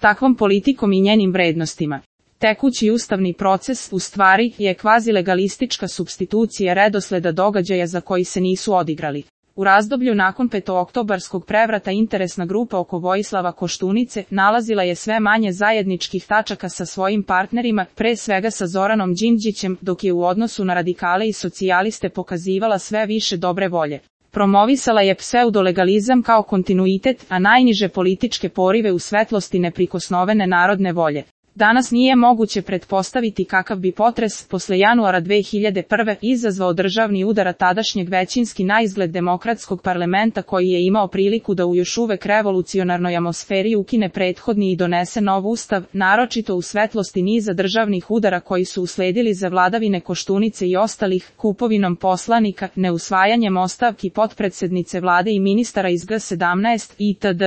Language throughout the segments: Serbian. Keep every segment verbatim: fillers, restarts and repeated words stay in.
takvom politikom i njenim vrednostima. Tekući ustavni proces, u stvari, je kvazilegalistička supstitucija redosleda događaja za koji se nisu odigrali. U razdoblju nakon petooktobarskog prevrata interesna grupa oko Vojislava Koštunice nalazila je sve manje zajedničkih tačaka sa svojim partnerima, pre svega sa Zoranom Đinđićem, dok je u odnosu na radikale i socijaliste pokazivala sve više dobre volje. Promovisala je pseudolegalizam kao kontinuitet, a najniže političke porive u svetlosti neprikosnovene narodne volje. Danas nije moguće pretpostaviti kakav bi potres posle januara dve hiljade prve. izazvao državni udar tadašnjeg većinski naizgled demokratskog parlamenta koji je imao priliku da u još uvek revolucionarnoj atmosferi ukine prethodni i donese nov ustav, naročito u svetlosti niza državnih udara koji su usledili za vladavine Koštunice i ostalih, kupovinom poslanika, neusvajanjem ostavki potpredsednice vlade i ministara iz G sedamnaest itd.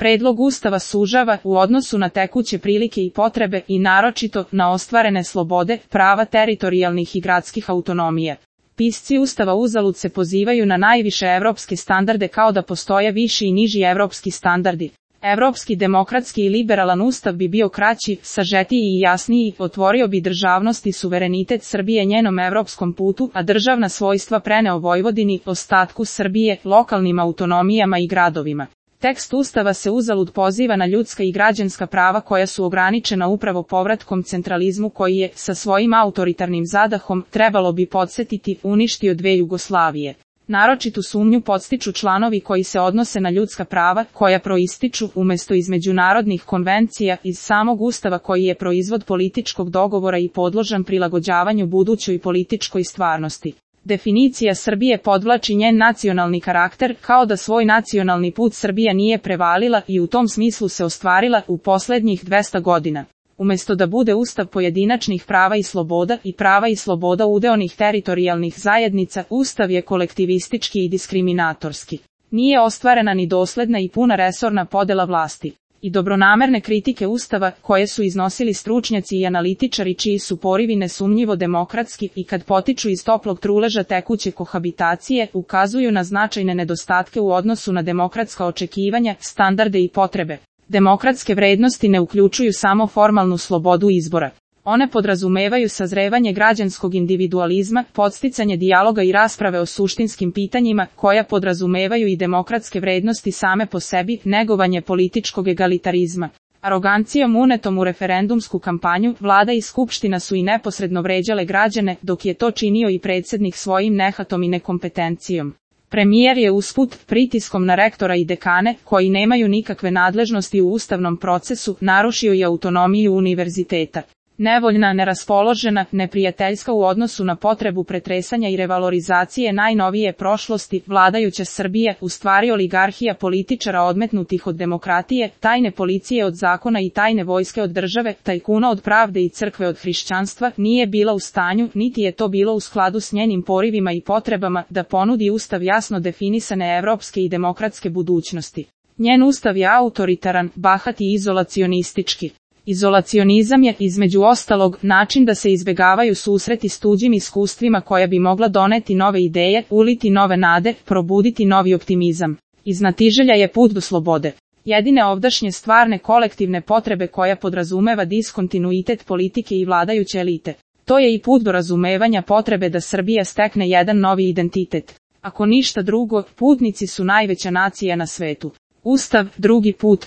Predlog ustava sužava, u odnosu na tekuće prilike i potrebe, i naročito na ostvarene slobode, prava teritorijalnih i gradskih autonomija. Pisci ustava uzalud se pozivaju na najviše evropske standarde kao da postoje viši i niži evropski standardi. Evropski demokratski i liberalan ustav bi bio kraći, sažetiji i jasniji, otvorio bi državnost i suverenitet Srbije njenom evropskom putu, a državna svojstva preneo Vojvodini, ostatku Srbije, lokalnim autonomijama i gradovima. Tekst ustava se uzalud poziva na ljudska i građanska prava koja su ograničena upravo povratkom centralizmu koji je, sa svojim autoritarnim zadahom, trebalo bi podsjetiti, uništio dve Jugoslavije. Naročitu sumnju podstiču članovi koji se odnose na ljudska prava, koja proističu, umesto iz međunarodnih konvencija, iz samog ustava koji je proizvod političkog dogovora i podložan prilagođavanju budućoj političkoj stvarnosti. Definicija Srbije podvlači njen nacionalni karakter, kao da svoj nacionalni put Srbija nije prevalila i u tom smislu se ostvarila u poslednjih dvesta godina. Umesto da bude ustav pojedinačnih prava i sloboda i prava i sloboda udeonih teritorijalnih zajednica, ustav je kolektivistički i diskriminatorski. Nije ostvarena ni dosledna i puna resorna podela vlasti. I dobronamerne kritike ustava, koje su iznosili stručnjaci i analitičari čiji su porivi nesumnjivo demokratski i kad potiču iz toplog truleža tekuće kohabitacije, ukazuju na značajne nedostatke u odnosu na demokratska očekivanja, standarde i potrebe. Demokratske vrednosti ne uključuju samo formalnu slobodu izbora. One podrazumevaju sazrevanje građanskog individualizma, podsticanje dijaloga i rasprave o suštinskim pitanjima, koja podrazumevaju i demokratske vrednosti same po sebi, negovanje političkog egalitarizma. Arogancijom unetom u referendumsku kampanju, vlada i skupština su i neposredno vređale građane, dok je to činio i predsjednik svojim nehatom i nekompetencijom. Premijer je usput, pritiskom na rektora i dekane, koji nemaju nikakve nadležnosti u ustavnom procesu, narušio i autonomiju univerziteta. Nevoljna, neraspoložena, neprijateljska u odnosu na potrebu pretresanja i revalorizacije najnovije prošlosti, vladajuća Srbija, u stvari oligarhija političara odmetnutih od demokratije, tajne policije od zakona i tajne vojske od države, tajkuna od pravde i crkve od hrišćanstva, nije bila u stanju, niti je to bilo u skladu s njenim porivima i potrebama, da ponudi ustav jasno definisane evropske i demokratske budućnosti. Njen ustav je autoritaran, bahat i izolacionistički. Izolacionizam je, između ostalog, način da se izbegavaju susreti s tuđim iskustvima koja bi mogla doneti nove ideje, uliti nove nade, probuditi novi optimizam. Iznatiželja je put do slobode. Jedine ovdašnje stvarne kolektivne potrebe koja podrazumeva diskontinuitet politike i vladajuće elite. To je i put do razumevanja potrebe da Srbija stekne jedan novi identitet. Ako ništa drugo, putnici su najveća nacija na svetu. Ustav, drugi put.